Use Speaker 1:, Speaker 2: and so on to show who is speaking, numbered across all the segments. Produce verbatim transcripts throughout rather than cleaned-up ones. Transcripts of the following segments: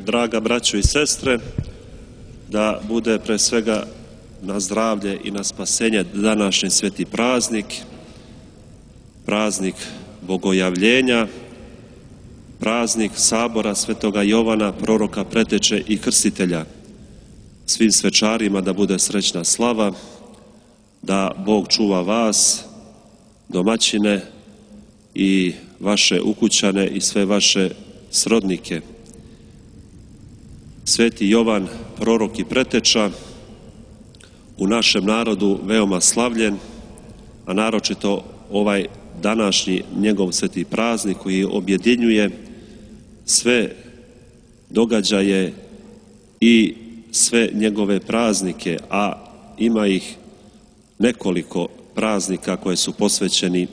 Speaker 1: draga braćo i sestre, da bude pre svega na zdravlje i na spasenje današnji sveti praznik, praznik Bogojavljenja, praznik sabora svetoga Jovana, proroka, preteče i krstitelja. Svim svečarima da bude srećna slava, da Bog čuva vas, domaćine i vaše ukućane i sve vaše srodnike. Sveti Jovan, prorok i preteča, u našem narodu veoma slavljen, a naročito ovaj današnji njegov sveti praznik koji objedinjuje sve događaje i sve njegove praznike, a ima ih nekoliko praznika koje su posvećeni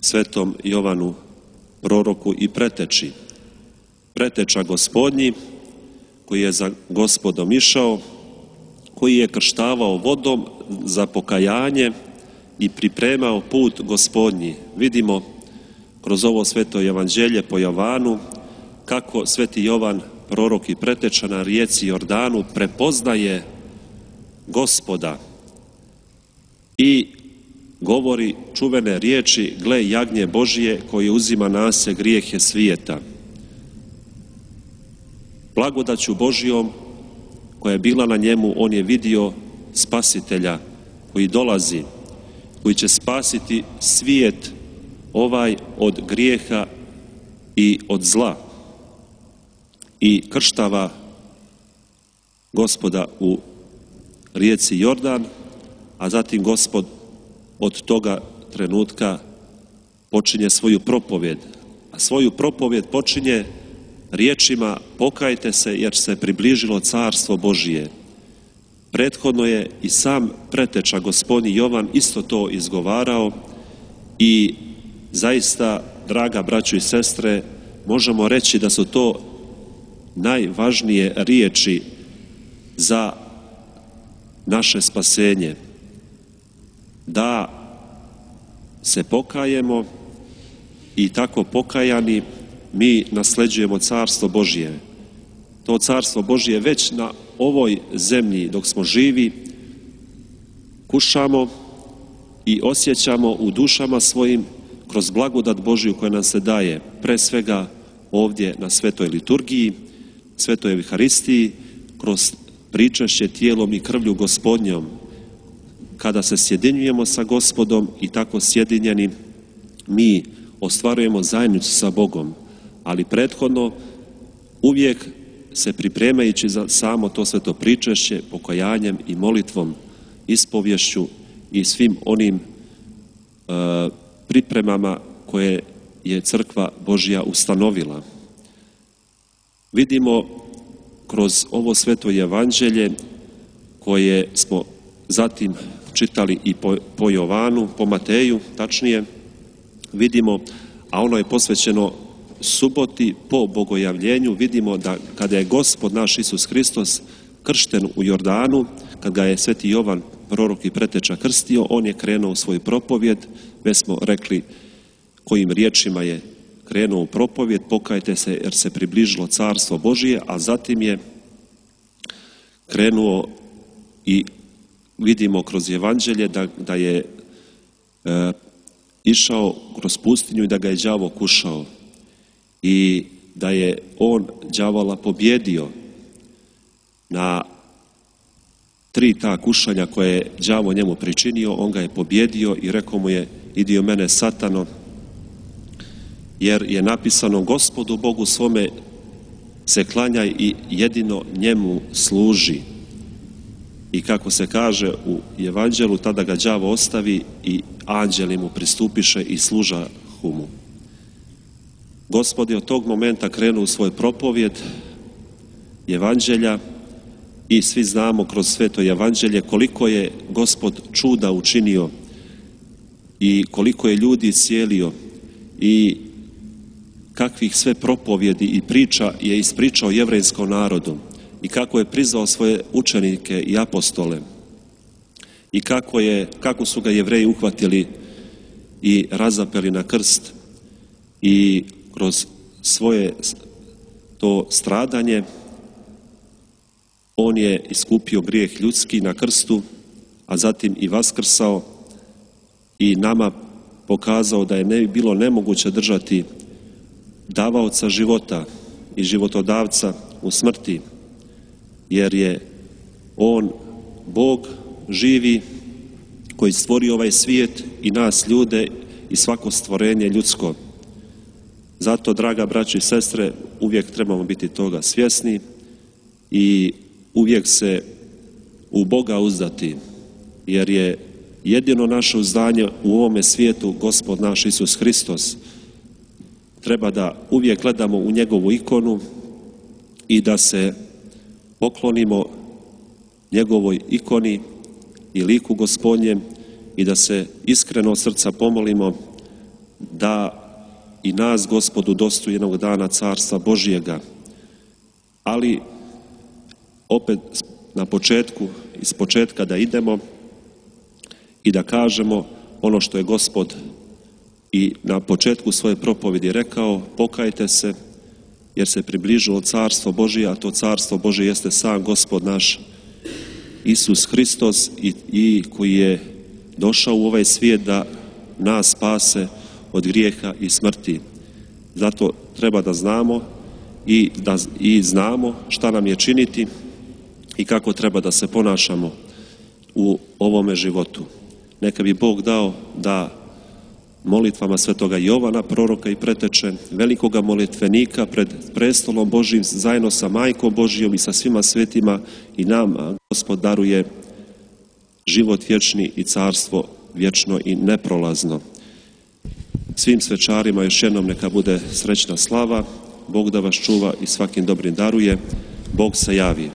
Speaker 1: svetom Jovanu, proroku i preteči. Preteča Gospodnji, koji je za Gospodom išao, koji je krštavao vodom za pokajanje i pripremao put Gospodnji. Vidimo kroz ovo sveto evanđelje po Jovanu kako sveti Jovan, prorok i preteča na rijeci Jordanu, prepoznaje Gospoda i govori čuvene riječi: gle jagnje Božije koje uzima na se grijehe svijeta. Blagodaću Božijom koja je bila na njemu, on je vidio spasitelja koji dolazi, koji će spasiti svijet ovaj od grijeha i od zla. I krštava Gospoda u rijeci Jordan, a zatim Gospod od toga trenutka počinje svoju propovjed. A svoju propovjed počinje riječima: pokajte se jer se približilo carstvo Božije. Prethodno je i sam preteča Gospodnji Jovan isto to izgovarao i zaista, draga braćo i sestre, možemo reći da su to najvažnije riječi za naše spasenje. Da se pokajemo i tako pokajani mi nasleđujemo carstvo Božje. To carstvo Božje već na ovoj zemlji dok smo živi kušamo i osjećamo u dušama svojim kroz blagodat Božju koja nam se daje, pre svega ovdje na svetoj liturgiji, svetoj Evharistiji, kroz pričašće tijelom i krvlju Gospodnjom, kada se sjedinjujemo sa Gospodom i tako sjedinjeni mi ostvarujemo zajednicu sa Bogom, ali prethodno uvijek se pripremajući za samo to sveto pričašće, pokajanjem i molitvom, ispovješću i svim onim uh, pripremama koje je Crkva Božja ustanovila. Vidimo kroz ovo sveto evanđelje koje smo zatim čitali i po, po Jovanu, po Mateju tačnije, vidimo, a ono je posvećeno suboti po Bogojavljenju, vidimo da kada je Gospod naš Isus Hristos kršten u Jordanu, kad ga je sveti Jovan, prorok i preteča, krstio, on je krenuo u svoju propovjed. Već smo rekli kojim riječima je krenuo u propovjed: pokajte se jer se približilo carstvo Božije, a zatim je krenuo i vidimo kroz evanđelje da, da je e, išao kroz pustinju i da ga je đavo kušao i da je on đavola pobjedio na tri ta kušanja koje je đavo njemu pričinio. On ga je pobjedio i rekao mu je: idi od mene satano, jer je napisano: Gospodu Bogu svome se klanjaj i jedino njemu služi. I kako se kaže u evanđelu, tada ga đavo ostavi i anđeli mu pristupiše i služahu mu. Gospod je od tog momenta krenuo u svoj propovjed evanđelja i svi znamo kroz sveto evanđelje koliko je Gospod čuda učinio i koliko je ljudi iscijelio i kakvih sve propovjedi i priča je ispričao jevrejskom narodu i kako je prizvao svoje učenike i apostole i kako, je, kako su ga Jevreji uhvatili i razapeli na krst i kroz svoje to stradanje. On je iskupio grijeh ljudski na krstu, a zatim i vaskrsao i nama pokazao da je ne bilo nemoguće držati davaoca života i životodavca u smrti, jer je on Bog živi koji stvorio ovaj svijet i nas ljude i svako stvorenje ljudsko. Zato, draga braćo i sestre, uvijek trebamo biti toga svjesni i uvijek se u Boga uzdati, jer je jedino naše uzdanje u ovome svijetu Gospod naš Isus Hristos. Treba da uvijek gledamo u njegovu ikonu i da se poklonimo njegovoj ikoni i liku Gospodnjem i da se iskreno od srca pomolimo da i nas Gospod udostoji jednog dana Carstva Božjega. Ali opet na početku, iz početka da idemo i da kažemo ono što je Gospod i na početku svoje propovjedi rekao: pokajte se jer se približilo Carstvo Božje, a to Carstvo Božje jeste sam Gospod naš Isus Hristos i, i koji je došao u ovaj svijet da nas spase od grijeha i smrti. Zato treba da znamo i, da, i znamo šta nam je činiti i kako treba da se ponašamo u ovome životu. Neka bi Bog dao da molitvama svetoga Jovana, proroka i preteče, velikoga molitvenika pred prestolom Božjim, zajedno sa Majkom Božjom i sa svima svetima i nama Gospod daruje život vječni i carstvo vječno i neprolazno. Svim svečarima još jednom neka bude srećna slava, Bog da vas čuva i svakim dobrim daruje, Bog se javi.